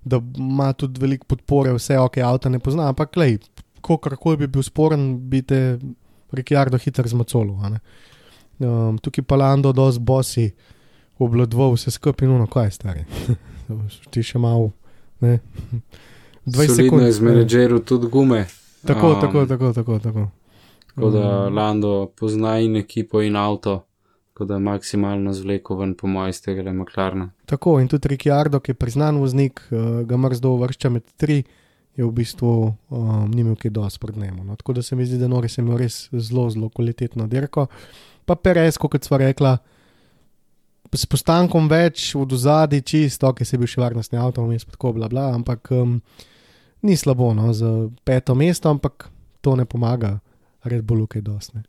da ima tudi veliko podpore, vse ok, avta ne pozna, ampak lej, kakorkoli bi bil sporen, bi te Ricciardo hitro zmacolo, a ne. Tukaj pa Lando dosti bosi obladval vse skupaj, no, kaj je stari, ti še malo, ne, 20 sekund. Solidno je z menedžeru tudi gume. Tako. Tako da Lando pozna in ekipo in avto, tako da maksimalno zvleko ven po moje iz tega McLarena. Tako, in tudi Ricciardo, ki je priznan voznik, ga mrzdo uvršča med 3, je v bistvu ni imel kaj dosti pred njemu. No. Tako da se mi zdi, da Norris je imel res zelo, zelo kvalitetno dirko. Pa Perez, kot sva rekla, s postankom več od ozadij čisto, ki se je bil še varnostni avto vmes, pa tako bla bla, ampak ni slabo, no, za 5. mesto, ampak to ne pomaga Red Bullu kaj dosti.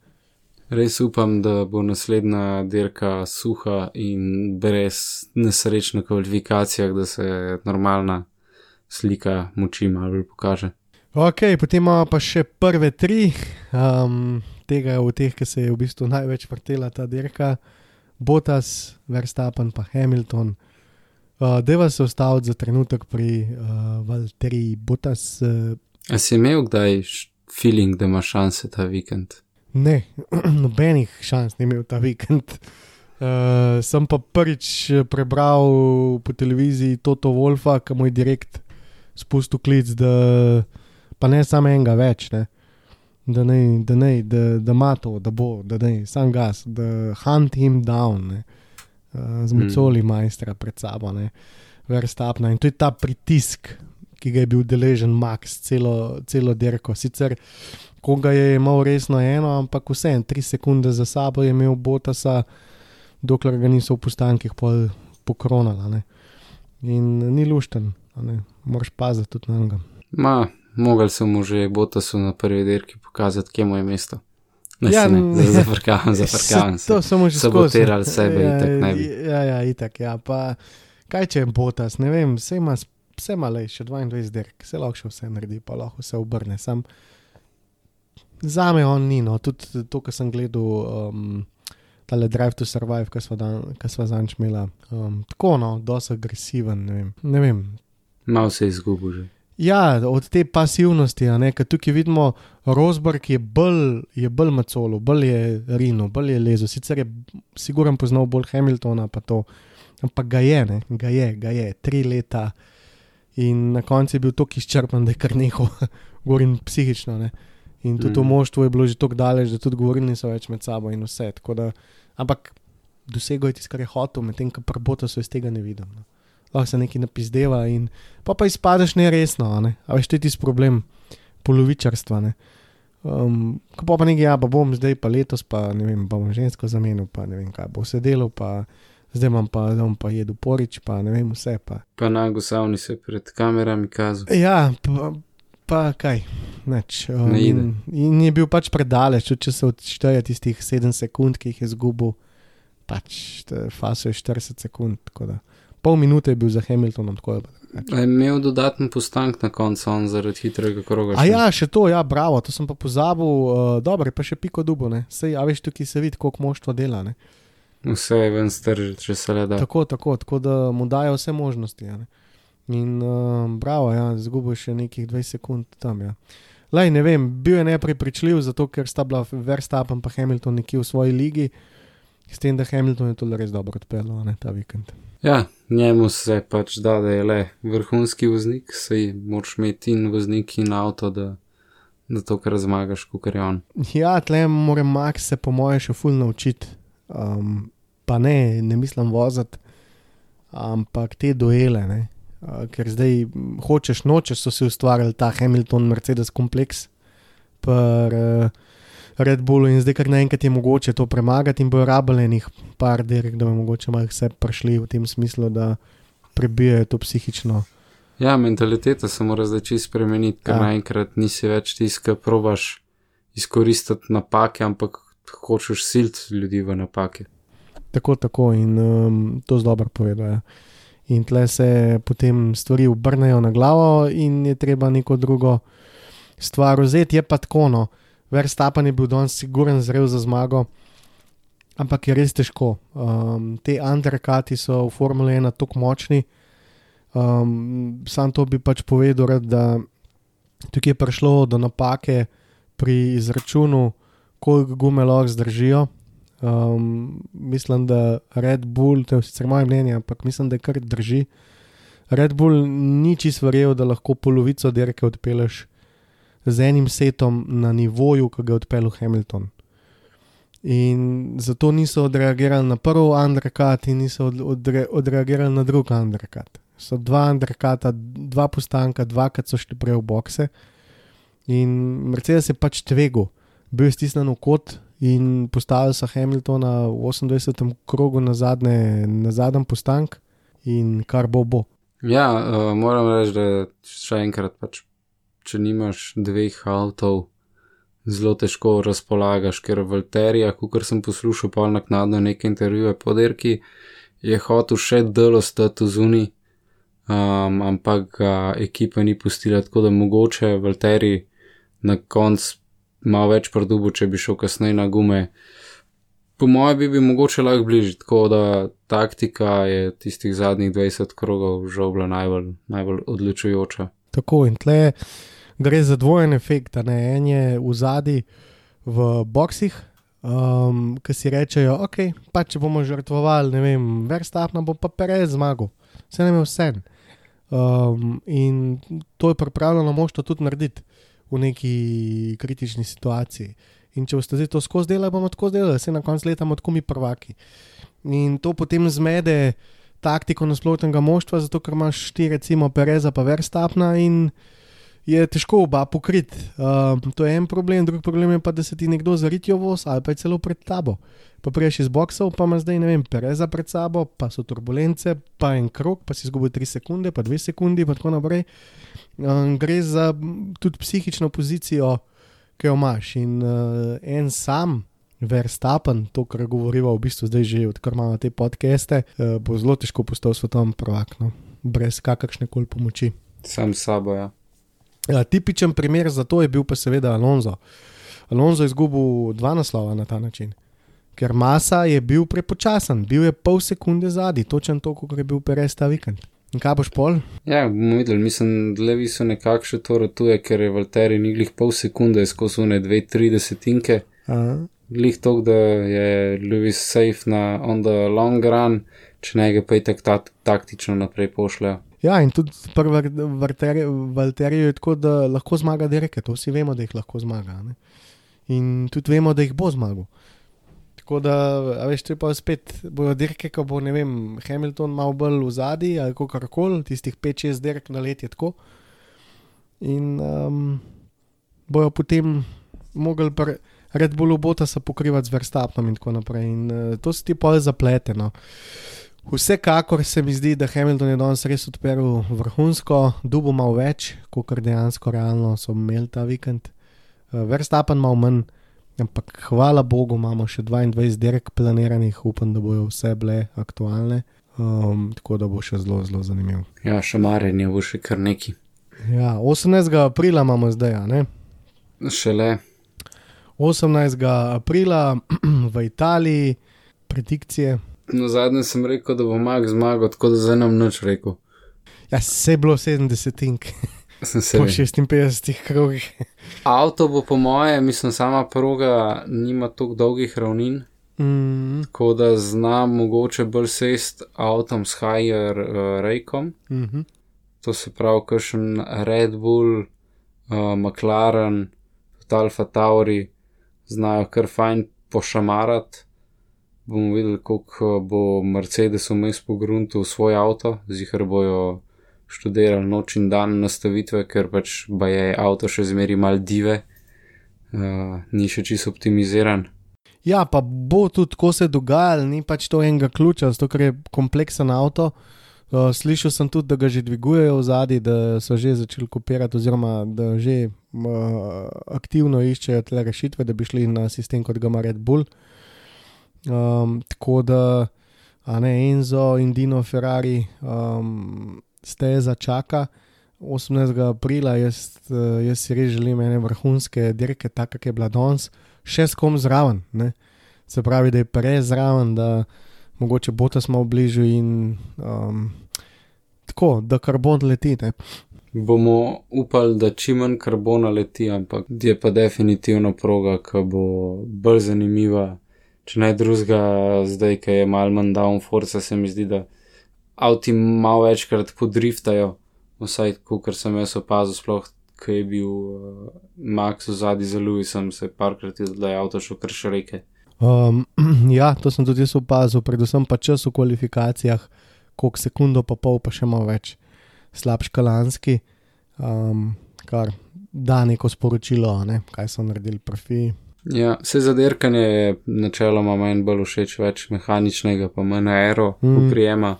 Res upam, da bo naslednja dirka suha in brez nesreč na kvalifikacijah, da se normalna slika moči malo bolj pokaže. Ok, potem imamo pa še prve 3, tega v teh, ki se je v bistvu največ vrtela ta dirka, Bottas, Verstappen pa Hamilton. Deva se ustaviti za trenutek pri Valtteri Bottas. A si imel kdaj feeling, da ima šanse ta vikend? Ne, nobenih šans ni imel ta vikend. Sem pa prvič prebral po televiziji Toto Wolfa, ki mu je direkt spustil klic, da pa ne samo enega več, ne. Da ima to, da bo, da ne, sam gas, da hunt him down, ne. Z Macoli majstra pred sabo, ne. Verstappna in to je ta pritisk, ki ga je bil deležen Max celo dirko. Sicer, ko ga je imel resno eno, ampak vseeno 3 sekunde za sabo je imel Bottasa, dokler ga niso v postankih pokronala, ne. In ni lušten, ne. Moraš paziti tudi na njega. Mogel sem mu že Bottasu na prvi dirki pokazati, kje mu je mesto. Zafrkavam se. To so mu že sabotirali sebe, itak ne bi. Ja, itak, ja. Pa kaj če je Bottas, ne vem, vse ima lej, še 22 dirk, se lahko še vse naredi, pa lahko se obrne. Sam zame on ni, no, tudi to, ko sem gledal tale Drive to Survive, ko sva zanč imela, tako, no, dosti agresiven, ne vem. Mal se je izgubil že. Ja, od te pasivnosti, a ne, ker tukaj vidimo, Rosberg je bolj Macolo, bolj je Rino, bolj je lezo, sicer je siguran poznal bolj Hamiltona pa to, ampak ga je, 3 leta in na koncu je bil toliko izčrpan, da je kar nehal, govorim psihično, ne, in tudi v moštvu je bilo že toliko daleč, da tudi govorili niso več med sabo in vse, tako da, ampak dosegel je tisto, kar je hotel, medtem ko pri Bottasu iz tega ne vidim, no. Lahko se nekaj napizdeva in pa izpadeš neresno, ne? A veš, to je tisti problem polovičarstva, ne? Ko pa nekaj, ja, pa bom zdaj pa letos, pa ne vem, pa bom žensko zamenil, pa ne vem kaj, bo se delal, pa zdaj bom pa jedel porič, pa ne vem vse, pa. Pa nagosavni se pred kamerami kazal. Ja, pa kaj, neč. In je bil pač predaleč, če se odšteje tistih 7 sekund, ki jih je zgubil, pač faso je 40 sekund, tako da. Pol minute je bil za Hamiltonom tako. Je imel dodaten postank na koncu on zaradi hitrega kroga? A ja, še to, ja, bravo, to sem pa pozabil, dobro, pa še piko dubo, ne, sej, a veš, tukaj se vidi, koliko moštvo dela, ne. Vse je ven stržiti, če se le da. Tako da mu dajo vse možnosti, ja, ne. In bravo, ja, zgubil še nekih 20 sekund tam, ja. Lej, ne vem, bil je neprepričljiv, zato ker sta bila Verstappen pa Hamilton nekje v svoji ligi, s tem, da Hamilton je to res dobro odpeljal, ne, ta vikend. Ja, njemu se pač da je le vrhunski voznik, sej moraš imeti in voznik in avto, da to kar zmagaš, kakor je on. Ja, tle mora Max se po moje še ful naučiti, pa ne mislim voziti, ampak te duele, ne, ker zdaj hočeš nočeš so si ustvarjali ta Hamilton Mercedes kompleks per Red Bullu in zdaj kar naenkrat je mogoče to premagati in bojo rabili enih par dirk, da bo mogoče malo vse prišli v tem smislu, da prebijajo to psihično. Ja, mentaliteta se mora zdaj čisto spremeniti, ker naenkrat nisi več tiska, probaš izkoristiti napake, ampak hočeš siliti ljudi v napake. Tako in to z dobro povedal, ja. In tle se potem stvari obrnejo na glavo in je treba neko drugo stvar vzeti, je pa tako, no. Verstappen je bil danes siguren zrel za zmago, ampak je res težko. Te undercuti so v Formule 1 tako močni, sam to bi pač povedal, da tukaj je prišlo do napake pri izračunu, koliko gume lahko zdržijo. Mislim, da Red Bull, to je sicer moje mnenje, ampak mislim, da kar drži. Red Bull ni čisto verjel, da lahko polovico dirke odpeleš z enim setom na nivoju, ki ga je odpeljal Hamilton. In zato niso odreagirali na prvi undercut in niso odreagirali na drugi undercut. So 2 undercuta, 2 postanka, 2krat so šli prej v bokse in Mercedes je pač tvegal. Bil je stisnen v kot, in postavili so Hamiltona v 28. krogu na zadnji postank in kar bo. Ja, moram reči, da še enkrat pač, če nimaš dveh avtov, zelo težko razpolagaš, ker Valterija, kakor sem poslušal pol naknadno neke intervjuje po dirki, je hotel še delo stati zunaj, ampak ga ekipa ni pustila, tako da mogoče Valteri na konc malo več produbu, če bi šel kasneje na gume. Po mojem bi mogoče lahko bližji, tako da taktika je tistih zadnjih 20 krogov žal bila najbolj odločujoča. Tako in tle gre za dvojen efekt, ne? En je v zadnji v boksih, ki si rečejo, ok, pa če bomo žrtvovali, ne vem, Verstappen bo pa Perez zmagal, vse nam je vse. In to je pripravljeno moštvo tudi narediti v neki kritični situaciji. In če boste zdaj to skozi delali, bomo tako delali, se na koncu leta bomo tako mi prvaki. In to potem zmede taktiko nasprotnega moštva, zato ker imaš ti recimo Pereza pa Verstappena in je težko oba pokriti. To je en problem, drugi problem je pa, da se ti nekdo zaritijo voz ali pa je celo pred tabo. Pa priješ iz boksov, pa ima zdaj, ne vem, Pereza pred sabo, pa so turbulence, pa en krog, pa si izgubil 3 sekunde, pa 2 sekundi, pa tako naprej. Gre za tudi psihično pozicijo, ki jo imaš. In en sam Verstappen, to, kar govoriva v bistvu zdaj že, odkar imamo te podcaste, bo zelo težko postal svetovni prvak, no? Brez kakršne koli pomoči. Sam s sabo, ja. Tipičen primer za to je bil pa seveda Alonso. Alonso je izgubil 2 naslova na ta način, ker Massa je bil prepočasen, bil je pol sekunde zadnji, točen to, kot je bil Perez ta vikend. In kaj boš pol? Ja, bomo videli, mislim, Levi so nekako še to ratuje, ker je Valtteri ni glih pol sekunde skozi une 2-3 desetinke. Glih tok, da je Lewis safe na on the long run, če ne ga pa je taktično naprej pošljajo. Ja, in tudi pri Valteriju je tako, da lahko zmaga dirke, to vsi vemo, da jih lahko zmaga. Ne? In tudi vemo, da jih bo zmagal. Tako da, a veš, to je pa spet, bojo dirke, ko bo, ne vem, Hamilton malo bolj v zadnji ali kakorkoli, tistih 5-6 dirk na let je tako. In bojo potem mogli Red Bullu Bottasa pokrivati z Verstappenom in tako naprej. In to se ti pol zaplete, no. Vsekakor se mi zdi, da Hamilton je danes res odperil vrhunsko, dubo malo več, kakor dejansko realno so imeli ta vikend. Verstappen malo manj, ampak hvala Bogu imamo še 22 dirk planiranih, upam, da bojo vse bile aktualne, tako da bo še zelo, zelo zanimiv. Ja, šamarjenje bo še kar neki. Ja, 18. aprila imamo zdaj, ne? Šele. 18. aprila v Italiji, predikcije. No, zadnje sem rekel, da bo Max zmagal, tako da zdaj nam nič rekel. Ja, se je bilo 70-ink. Po 56 krogih. Avto bo po moje, mislim, sama proga nima toliko dolgih ravnin, tako da zna mogoče bolj sest avtom s higher rakom. To se pravi, kakšen Red Bull, McLaren, Alfa Tauri znajo kar fajn pošamarati. Bomo videli, koliko bo Mercedes vmes pogruntil svoj avto, zihar bojo študirali noč in dan nastavitve, ker pač je avto še zmeri mal dive, ni še čisto optimiziran. Ja, pa bo tudi, ko se dogajalo, ni pač to enega ključa, zato ker je kompleksen avto. Slišal sem tudi, da ga že dvigujejo v zadnji, da so že začeli kopirati oziroma da že aktivno iščejo tle rešitve, da bi šli na sistem, kot ga ima Red Bull. Tako da Enzo in Dino Ferrari steza čaka 18. aprila, jaz si res želim ene vrhunske dirke, tako kak je bila danes, še s kom zraven, ne? Se pravi, da je Perez zraven, da mogoče Bottas malo bližu in tako, da karbon leti, ne? Bomo upali, da čim manj karbona leti, ampak je pa definitivno proga, ki bo bolj zanimiva. Če ne drugega, zdaj, ki je malo manj downforce, se mi zdi, da avti malo večkrat podriftajo, vsaj, kakor sem jaz opazil, sploh, ki je bil Max v zadnji za Lewisom, se je parkrat da je avto šel kar še reke. Ja, to sem tudi jaz opazil, predvsem pa čas v kvalifikacijah, koliko sekundo pa pol, pa še malo več slabš kalanski, kar da neko sporočilo, ne, kaj so naredili profi. Ja, vse za dirkanje je načeloma meni bolj všeč, več mehaničnega, pa manj aero uprijema,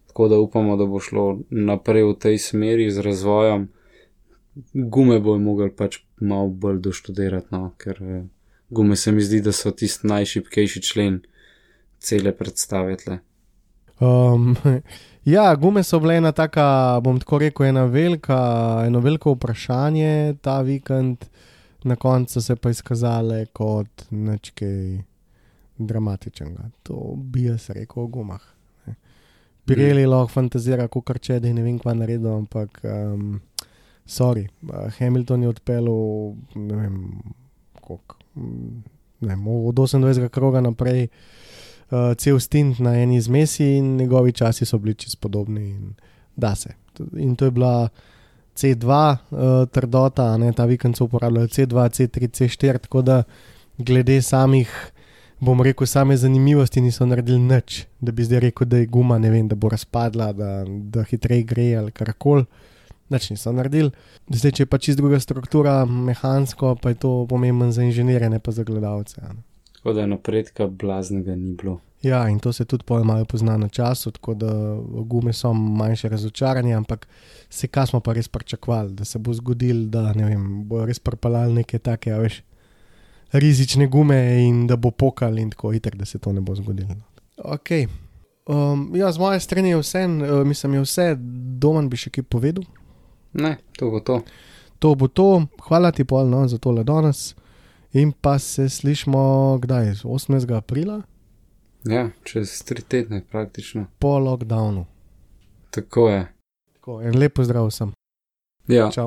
tako da upamo, da bo šlo naprej v tej smeri z razvojem. Gume bojo mogli pač malo bolj doštudirati, no, ker gume se mi zdi, da so tisti najšibkejši člen cele predstave tle. Ja, gume so bile ena taka, bom tako rekel, eno veliko vprašanje ta vikend, na koncu se pa izkazale kot nekaj dramatičnega. To bi jaz rekel o gumah. Pirelli lahko fantazira, kakor če, da ne vem, kva naredil, ampak sorry, Hamilton je odpeljal, ne vem, koliko, ne vem, od 28. kroga naprej cel stint na eni zmesi in njegovi časi so bili čisto podobni in da se. In to je bila C2 trdota, ne, ta vikend so uporabljali C2, C3, C4, tako da glede samih, bom rekel, same zanimivosti niso naredili nič, da bi zdaj rekel, da je guma, ne vem, da bo razpadla, da hitreje gre ali karkoli. Nič niso naredili. Zdaj, če je pa čisto druga struktura, mehansko, pa je to pomembno za inženirje, ne pa za gledalce. Tako da napredka blaznega ni bilo. Ja, in to se tudi malo pozna na času, tako da gume so manjše razočaranje, ampak se kaj smo pa res pričakovali, da se bo zgodil, da ne vem, bo res pripeljali neke take, a veš, rizične gume in da bo pokal in tako itak, da se to ne bo zgodilo. Ok. Ja, z moje strani je vse, mislim, je vse, Domen bi še kaj povedal? Ne, to bo to. To bo to, hvala ti pol, no, za tole danes in pa se slišmo, kdaj, 18. aprila? Ja, čez 3 tedne praktično. Po lockdownu. Tako je. Tako, en lep pozdrav vsem. Ja. Čau.